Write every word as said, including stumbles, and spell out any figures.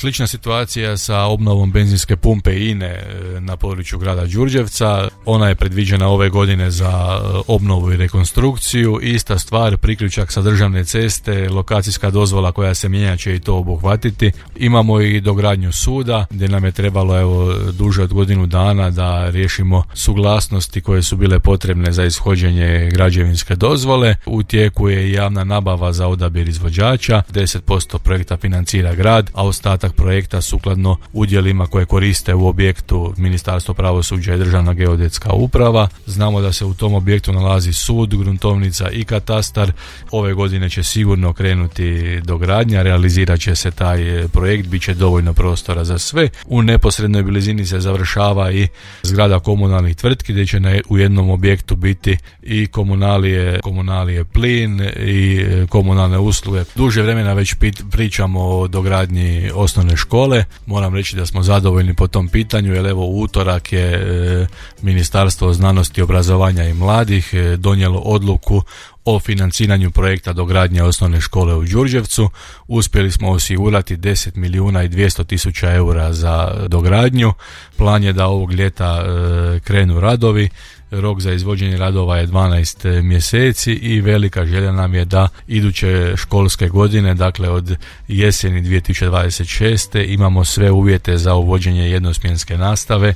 slična situacija sa obnovom benzinske pumpe I N E na području grada Đurđevca. Ona je predviđena ove godine za obnovu i rekonstrukciju. Ista stvar, priključak sa državne ceste, lokacijska dozvola koja se mijenja će i to obuhvatiti. Imamo i dogradnju suda gdje nam je trebalo evo duže od godinu dana da riješimo suglasnosti koje su bile potrebne za ishođenje građevinske dozvole. U tijeku je i javna nabava za odabir izvođača. deset posto projekta financira grad, a ostatak projekta sukladno udjelima koje koriste u objektu Ministarstvo pravosuđa i Državna geodetska uprava. Znamo da se u tom objektu nalazi sud, gruntovnica i katastar. Ove godine će sigurno krenuti dogradnja, realizirat će se taj projekt, bit će dovoljno prostora za sve. U neposrednoj blizini se završava i zgrada komunalnih tvrtki gdje će na, u jednom objektu biti i komunalije, komunalije plin i komunalne usluge. Duže vremena već pit, pričamo o dogradnji osnovne škole. Moram reći da smo zadovoljni po tom pitanju, jer evo u utorak je e, Ministarstvo znanosti, obrazovanja i mladih e, donijelo odluku o financiranju projekta dogradnje osnovne škole u Đurđevcu. Uspjeli smo osigurati deset milijuna i dvjesto tisuća eura za dogradnju. Plan je da ovog ljeta e, krenu radovi. Rok za izvođenje radova je dvanaest mjeseci i velika želja nam je da iduće školske godine, dakle od jeseni dvije tisuće dvadeset šeste imamo sve uvjete za uvođenje jednosmjenske nastave